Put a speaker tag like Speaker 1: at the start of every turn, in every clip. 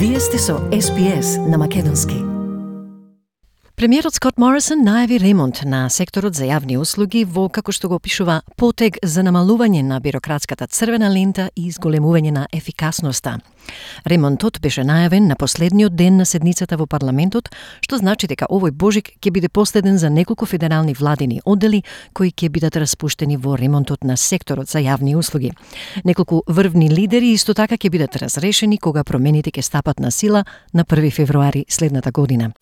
Speaker 1: Вие сте со SPS на македонски.
Speaker 2: Премиерот Скот Морисон најави ремонт на секторот за јавни услуги во, како што го опишува, потег за намалување на бирократската црвена лента и изголемување на ефикасноста. Ремонтот беше најавен на последниот ден на седницата во парламентот, што значи дека овој божик ќе биде последен за неколку федерални владини оддели кои ќе бидат распуштени во ремонтот на секторот за јавни услуги. Неколку врвни лидери исто така ќе бидат разрешени кога промените ќе стапат на сила на 1 февруари следната година.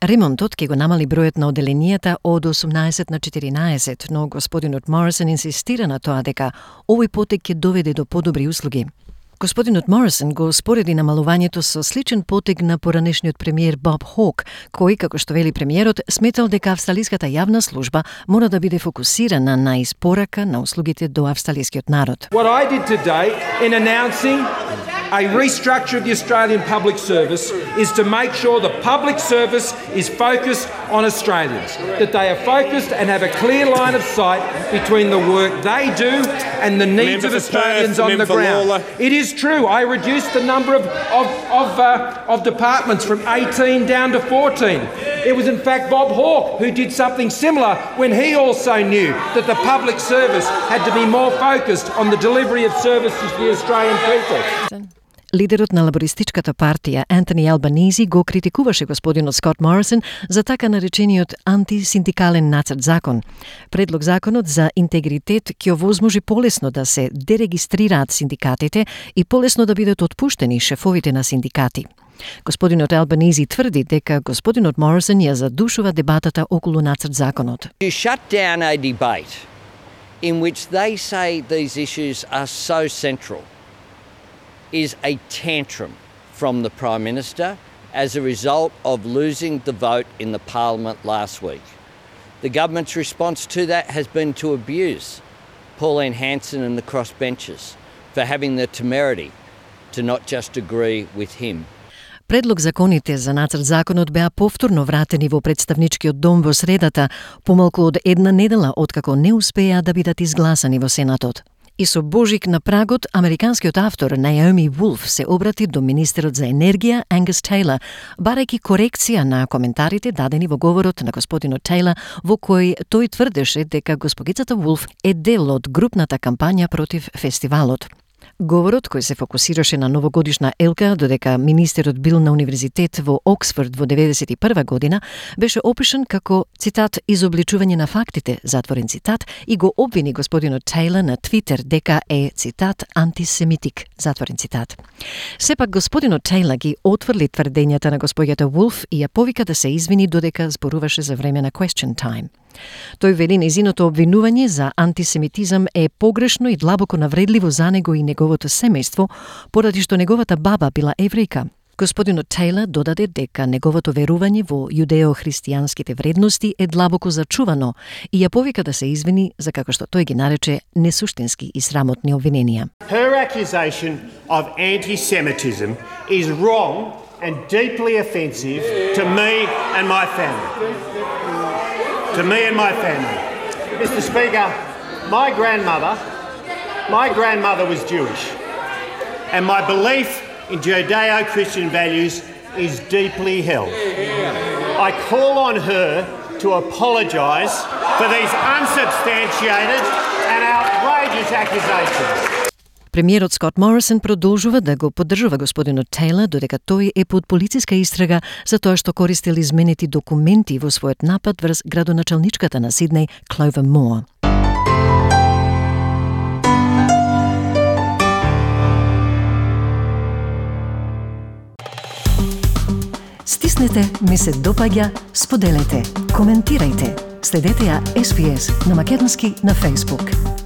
Speaker 2: Ремонтот ќе го намали бројот на одделенијата од 18 на 14, но господинот Морисон инсистира на тоа дека овој потег ќе доведе до подобри услуги. Господинот Морисон го спореди намалувањето со сличен потег на поранешниот премиер Боб Хок, кој, како што вели премиерот, сметал дека австралиската јавна служба мора да биде фокусирана на испорака на услугите до австралискиот народ.
Speaker 3: What I did today in announcing a restructure of the Australian public service is to make sure the public service is focused on Australians, that they are focused and have a clear line of sight between the work they do and the needs of Australians on the ground. It is true, I reduced the number of departments from 18 down to 14. It was in fact Bob Hawke who did something similar when he also knew that the public service had to be more focused on the delivery of services to the Australian people.
Speaker 2: Лидерот на лабористичката партија Антони Албанизи го критикуваше господинот Скот Морисон за така наречениот антисиндикален нацрт закон. Предлог законот за интегритет ќе овозможи полесно да се дерегистрираат синдикатите и полесно да бидат отпуштени шефовите на синдикати. Господинот Албанизи тврди дека господинот Морисон ја задушува дебатата околу нацрт законот.
Speaker 4: You shut down a debate in which they say these issues are so central is a tantrum from the Prime Minister as a result of losing the vote in the Parliament last week. The government's response to that has been to abuse Pauline Hanson and the crossbenchers for having the temerity to not just agree with him.
Speaker 2: Предлог законите за нацрт законот беа повторно вратени во представничкиот дом во средата, помалку од една недела откако не успеа да бидат изгласани во Сенатот. И со божик на прагот, американскиот автор Наоми Вулф се обрати до министерот за енергија Ангус Тейлор, барајќи корекција на коментарите дадени во говорот на господинот Тейлор, во кој тој тврдеше дека госпогицата Вулф е дел од групната кампања против фестивалот. Говорот, кој се фокусираше на новогодишна елка, додека министерот бил на универзитет во Оксфорд во 91 година, беше опишан како, цитат, изобличување на фактите, затворен цитат, и го обвини господинот Тейлор на Твитер дека е, цитат, антисемитик, затворен цитат. Сепак господинот Тейлор ги отврли тврдењата на господјата Вулф и ја повика да се извини додека зборуваше за време на question time. Тој вели незиното обвинување за антисемитизам е погрешно и длабоко навредливо за него и неговото семејство, поради што неговата баба била еврејка. Господинот Тейлор додаде дека неговото верување во јудео-христијанските вредности е длабоко зачувано и ја повика да се извини за како што тој ги нарече несуштински и срамотни обвиненија.
Speaker 5: Her accusation of anti-Semitism is wrong and deeply offensive to me and my family. To me and my family. Mr. Speaker, my grandmother was Jewish, and my belief in Judeo-Christian values is deeply held. I call on her to apologise for these unsubstantiated and outrageous accusations.
Speaker 2: Премиерот Скот Морисон продолжува да го поддржува господинот Тейлор додека тој е под полициска истрага за тоа што користел изменети документи во својот напад врз градоначалничката на Сиднеј Clover Moore. Стиснете, ми се допаѓа, споделете, коментирајте. Следете ја SPS на македонски на Facebook.